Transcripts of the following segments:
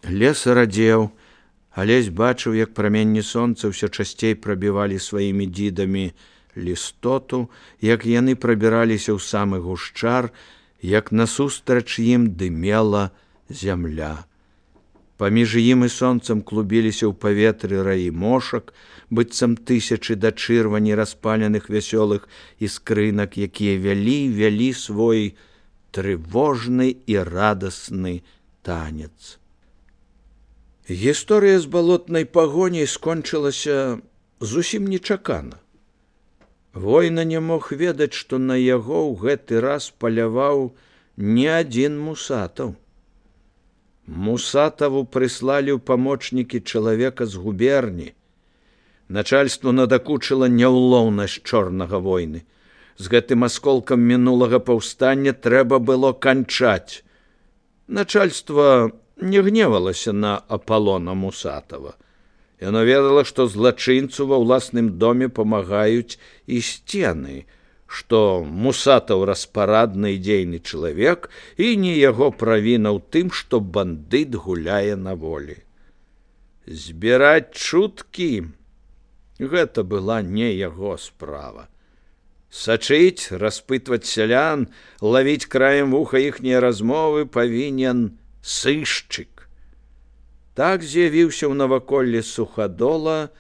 Лес радзеў, Алесь бачыў, як праменні сонца ўсё часцей прабівалі сваімі дзідамі лістоту, як яны прабіраліся ў самы гушчар, як насустрач ім дымела зямля. Паміж ім і сонцам клубіліся ў паветры раі мошак, быццам тысячы да чырвані распаленых вясёлых іскрынак, якія вялі свой трывожны і радасны танец. Гісторыя з балотнай пагоняй скончылася зусім нечакана. Война не мог ведаць, што на яго ў гэты раз паляваў не адзін Мусатаў. Мусатаву прыслалі ў памочнікі чалавека з губерні. Начальству надакучыла няўлоўнасць чорнага войны. З гэтым асколкам мінулага паўстання трэба было канчаць. Начальство не гневалася на Аполлона Мусатава. Яно ведала, што злачынцу ва ўласным доме памагаюць і сцены, што Мусатаў распарадны і дзейны чалавек, і не яго правіна ў тым, што бандыт гуляе на волі. Збіраць чуткі — гэта была не яго справа. Сачыць, распытваць сялян, лавіць краем вуха іхнія размовы павінен сышчык. Так з'явіўся ў наваколлі Сухадола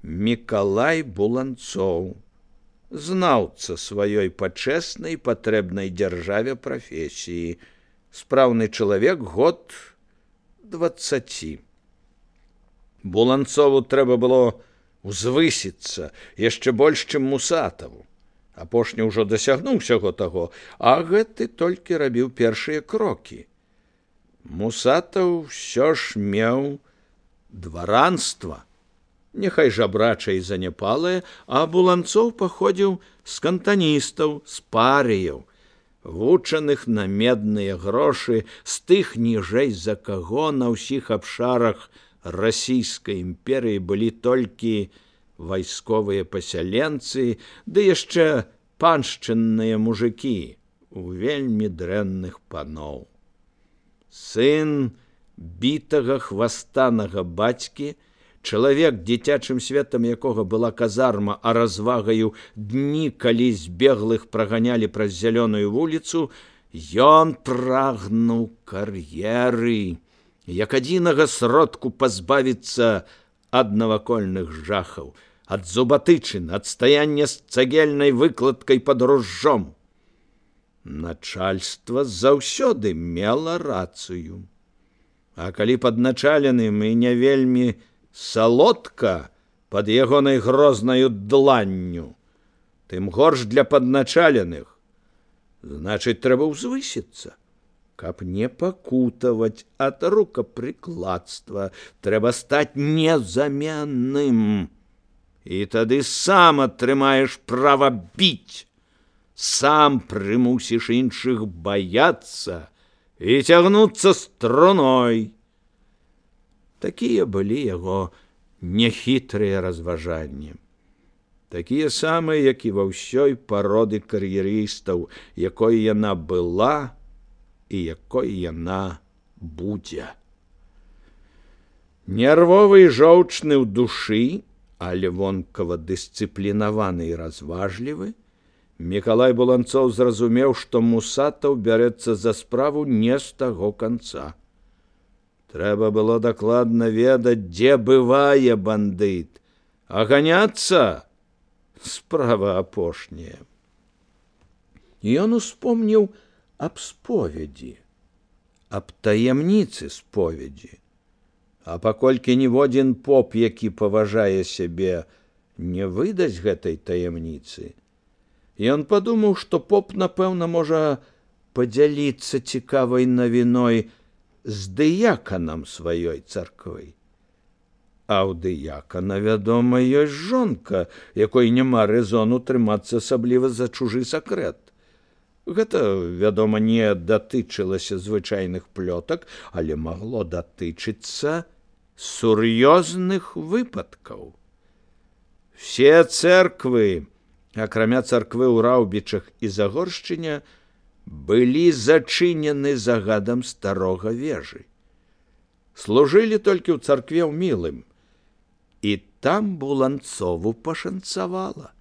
Мікалай Буланцоў, знаўца сваёй пачэснай патрэбнай дзяржаве прафесіі, спраўны чалавек год 20. Буланцову трэба было узвысіцца яшчэ больш, чым Мусатаву. Апошні ўжо дасягнуў усяго таго, а гэты толькі рабіў першыя крокі. Мусатаў ўсё ж меў дваранства, няхай жабрачае і заняпалае, а Буланцоў паходзіў з кантаністаў, з парыяў, вучаных на медныя грошы, з тых ніжэй, за каго на ўсіх абшарах расійскай імперыі былі толькі вайсковыя пасяленцы, ды яшчэ паншчынныя мужыкі у вельмі дрэнных паноў. Сын бітага хвастанага бацькі, чалавек, дзіцячым светам якога была казарма, а развагаю дні, калі збеглых праганялі праз зялёную вуліцу, ён прагнуў кар'еры, як адзінага сродку пазбавіцца ад навакольных жахаў, ад зубатычын, ад стаяння з цагельнай выкладкай пад ружжом. Начальство заўсёды мела рацыю. А калі падначаленым і не вельмі салодка пад ягонай грознаю дланню, тым горш для падначаленых. Значыць, трэба ўзвысіцца. Каб не пакутаваць ад рукапрыкладства, трэба стаць незаменным. І тады сам атрымаеш права біць, сам прымусіш іншых баяцца і цягнуцца струной. Такія былі яго нехітрыя разважанні. Такія самыя, як і ва ўсёй пароды кар'ерыстаў, якой яна была і якой яна будзе. Нервовы і жоўчны ў душы, але вонкава дысцыплінаваны і разважлівы, Мікалай Буланцоў зразумеў, што Мусатаў бярэцца за справу не з таго канца. Трэба было дакладна ведаць, дзе бывае бандыт, а ганяцца — справа апошняя. Ён успомніў аб споведзі, аб таямніцы споведзі. А паколькі ніводзін поп, які паважае сябе, не выдасць гэтай таямніцы, ён падумаў, што поп, напэўна, можа падзяліцца цікавай навіной з дыяканам сваёй царквы. А ў дыякана, вядома, ёсць жонка, якой няма рэзону трымацца асабліва за чужы сакрэт. Гэта, вядома, не датычылася звычайных плётак, але магло датычыцца сур'ёзных выпадкаў. Все цэрквы, акрамя царквы ў Раўбічах і Загоршчыне, былі зачынены загадам старога вежы. служылі толькі ў царкве ў Мілым. І там Буланцову пашанцавала.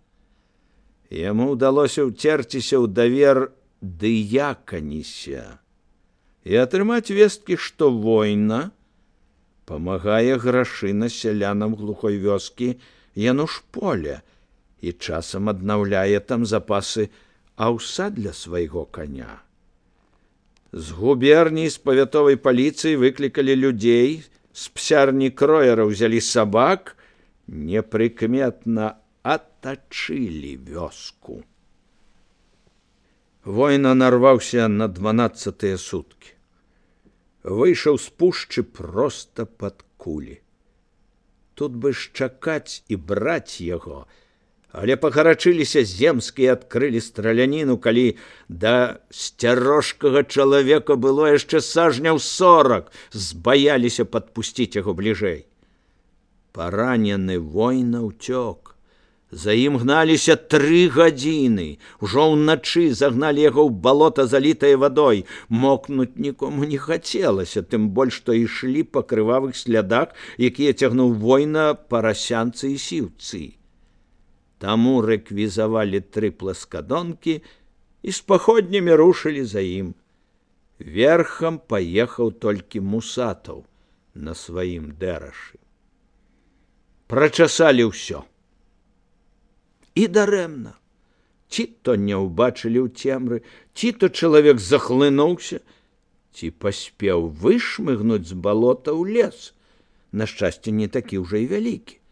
Яму ўдалося ўцерціся ў давер дыяканіся і атрымаць весткі, што война памагае грашына сялянам глухой вёскі Янушполя і часам аднаўляе там запасы аўса для свайго коня. З губерні, з павятовай паліцыі выклікалі людзей, з псярні кроера ўзялі сабак, непрыкметна атачылі вёску. Война нарваўся на 12-тыя суткі. Выйшаў з пушчы проста пад кулі. Тут бы ж чакаць і браць яго, але пагарачыліся земскія, адкрылі страляніну, калі да сцярожкага чалавека было яшчэ сажняў 40, збаяліся падпусціць яго бліжэй. Паранены Война ўцёк. За ім гналіся 3 гадзіны. Ужо ўначы загналі яго ў балота, залітае вадой. Мокнуць нікому не хацелася, тым больш, што ішлі па крывавых слядах, якія цягнуў Война парасянцы і сіўцы. Таму рэквізавалі 3 пласкадонкі і з паходнямі рушылі за ім. Верхам паехаў толькі Мусатаў на сваім дэрашы. Прачасалі ўсё. І дарэмна. Ці то не ўбачылі ў цемры, ці то чалавек захлынуўся, ці паспеў вышмыгнуць з балота ў лес. На шчасце, не такі ўжо і вялікі.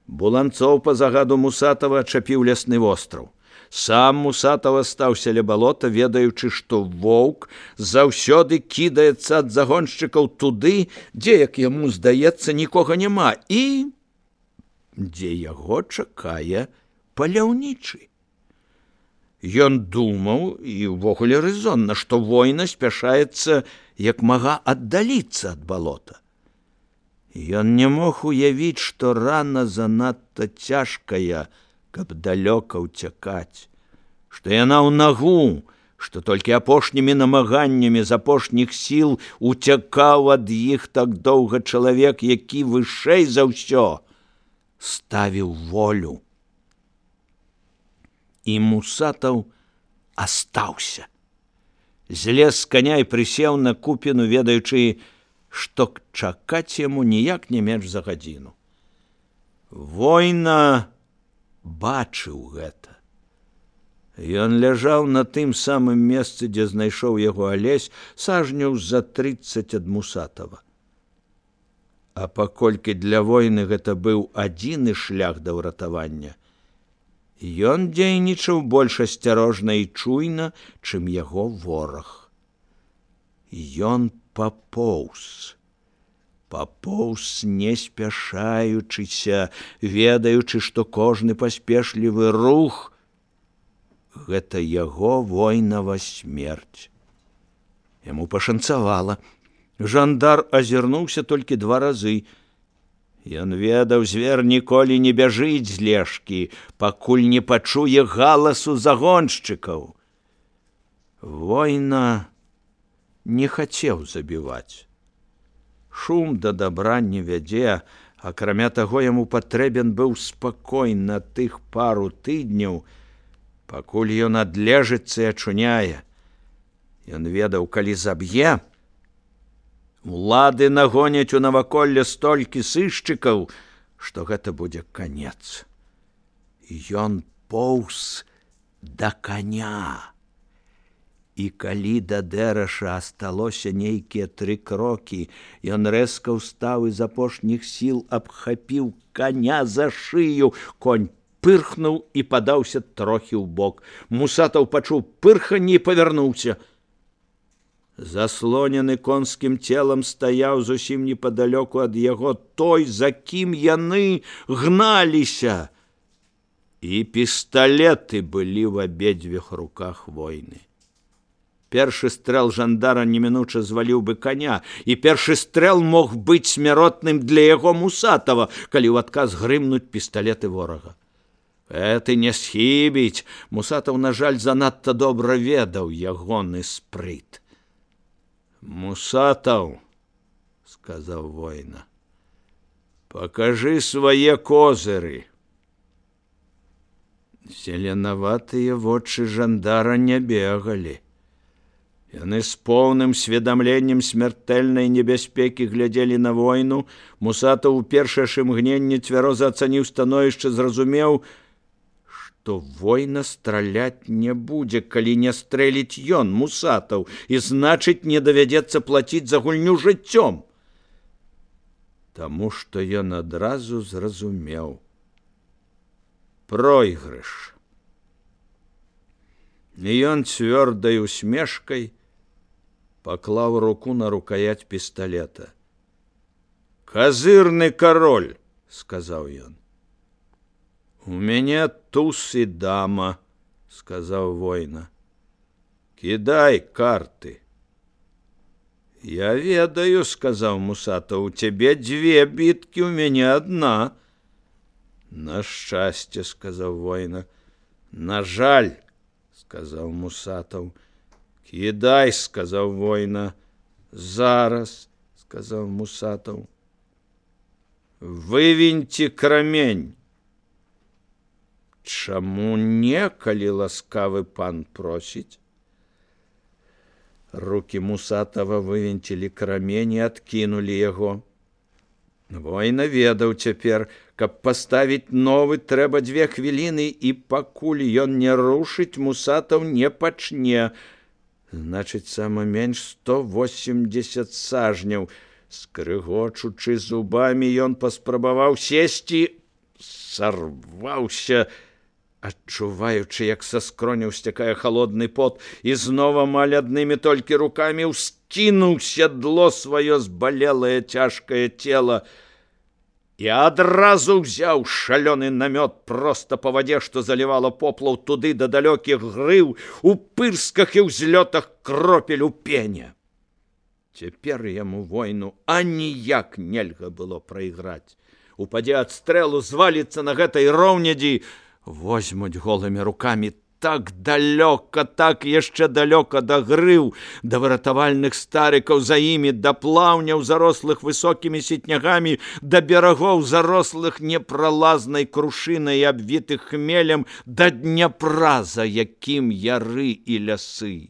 Буланцоў па загаду Мусатава ачапіў лясны востраў. Сам Мусатаў астаўся ля балота, ведаючы, што воўк заўсёды кідаецца ад загоншчыкаў туды, дзе, як яму здаецца, нікога няма, і дзе яго чакае паляўнічы. Ён думаў, і ўвогуле рэзонна, што Война спяшаецца як мага аддаліцца ад балота. Ён не мог уявіць, што рана занадта цяжкая, каб далёка ўцякаць, што яна ў нагу, што толькі апошнімі намаганнямі з апошніх сіл уцякаў ад іх так доўга чалавек, які вышэй за ўсё ставіў волю. І Мусатаў астаўся. Злез з каня і прысеў на купіну, ведаючы, што чакаць яму ніяк не менш за гадзіну. Война бачыў гэта. Ён ляжаў на тым самым месцы, дзе знайшоў яго Алесь, сажняў за 30 ад Мусатава. А паколькі для Войны гэта быў адзіны шлях да ўратавання, ён дзейнічаў больш асцярожна і чуйна, чым яго вораг. Ён папоўз не спяшаючыся, ведаючы, што кожны паспешлівы рух — гэта яго Войнава смерць. Яму пашанцавала. Жандар азірнуўся толькі 2 разы. Ён ведаў, звер ніколі не бяжыць з лежкі, пакуль не пачуе галасу загоншчыкаў. Война не хацеў забіваць. Шум да дабра не вядзе, акрамя таго, яму патрэбен быў спакой на тых пару тыдняў, пакуль ён адлежыцца і ачуняе. Ён ведаў, калі заб'е, улады нагоняць у наваколле столькі сышчыкаў, што гэта будзе канец. Ён поўз да каня. І калі да дэраша асталося нейкія 3 крокі, ён рэзка ўстаў і з апошніх сіл абхапіў каня за шыю. Конь пырхнуў і падаўся трохі ўбок. Мусатаў пачуў пырханне і павярнуўся. Заслонены конскім целам стаяў зусім непадалёку ад яго той, за кім яны гналіся. І пісталеты былі ў абедзвюх руках Войны. Першы стрэл жандара немінуча зваліў бы коня, і першы стрэл мог быць смяротным для яго Мусатава, калі ў адказ грымнуць пісталеты ворага. Гэты не схібіць. Мусатаў, на жаль, занадта добра ведаў ягоны спрыт. Мусатаў сказаў воіна. Пакажы свае козыры. Зеленаватыя вочы жандара не бегалі. Яны з поўным сведамленнем смяртэльнай небяспекі глядзелі на войну. Мусатаў у першае ж імгненне цвяроза ацаніў становішча, зразумеў, што война страляць не будзе, калі не стрэліць ён, Мусатаў, і значыць, не давядзецца плаціць за гульню жыццём. Таму што ён адразу зразумеў пройгрыш. І ён цвёрдай усмешкай паклаў руку на рукоять пісталета. «Казырны кароль», — сказаў ён. «У мяне туз і дама», — сказаў воіна. «Кідай карты». «Я ведаю», — сказаў Мусатаў, — «у цябе дзве біткі, у мяне адна». «На шчасце», — сказаў воіна. «На жаль», — сказаў Мусатаў. «Кідай», — сказаў воіна. «Зараз», — сказаў Мусатаў. «Вывіньце крамень». «Чаму не, калі ласкавы пан просіць?» Рукі Мусатава вывінцілі крамень і адкінулі яго. Воіна ведаў цяпер, каб паставіць новы, трэба 2 хвіліны, і пакуль ён не рушыць, Мусатаў не пачне. Значыць, сама менш 180 сажняў. Скрыгочучы зубамі, ён паспрабаваў сесці, сарваўся, адчуваючы, як са скроняў сцякае халодны пот, і знова амаль аднымі толькі рукамі ўскінуў сядло сваё збалелае цяжкае цела і адразу ўзяў шалёны намёт проста па вадзе, што залівала поплаў туды да далёкіх грыў, у пырсках і ўзлётах кропель у пене. Цяпер яму войну аніяк нельга было прайграць. Упадзе ад стрэлу, зваліцца на гэтай роўнядзі, возьмуць голымі рукамі так далёка, так яшчэ далёка да грыў, да выратавальных старыкаў за імі, да плаўняў, зарослых высокімі сетнягамі, да берагоў, зарослых непралазнай крушынай, абвітых хмелем, да Дняпра, за якім яры і лясы.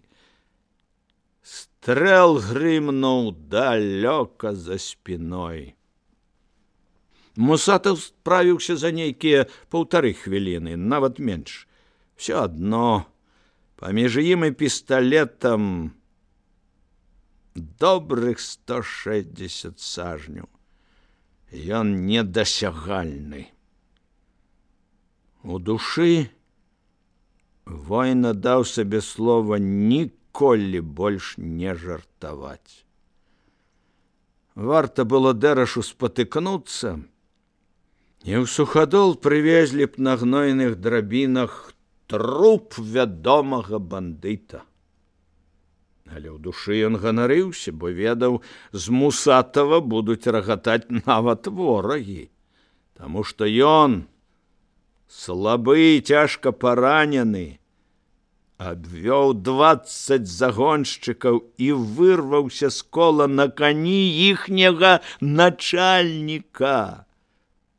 Стрэл грымнуў далёка за спіной. Мусатаў справіўся за нейкія 1,5 хвіліны, нават менш. Всё адно, паміж ім і пісталетам добрых 160 сажняў. Ён недасягальны. У душы воіна даў сабе слова ніколі больш не жартаваць. Варта было Дэрашу спатыкнуцца, і ў сухадол прывезлі б на гнойных драбінах труп вядомага бандыта. Але ў душы ён ганарыўся, бо ведаў, з Мусатава будуць рагатаць нават ворагі, таму што ён, слабы і цяжка паранены, абвёў 20 загоншчыкаў і вырваўся з кола на кані іхняга начальніка,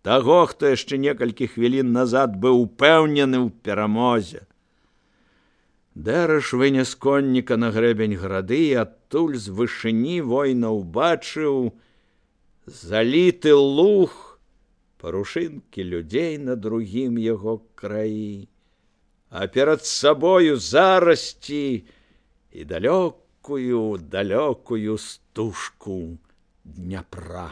таго, хто яшчэ некалькі хвілін назад быў упэўнены ў перамозе. Дэраш вынес конніка на грэбень грады, і адтуль з вышыні воіна ўбачыў заліты луг, парушынкі людзей на другім яго краі, а перад сабою зарасці і далёкую стужку Дняпра.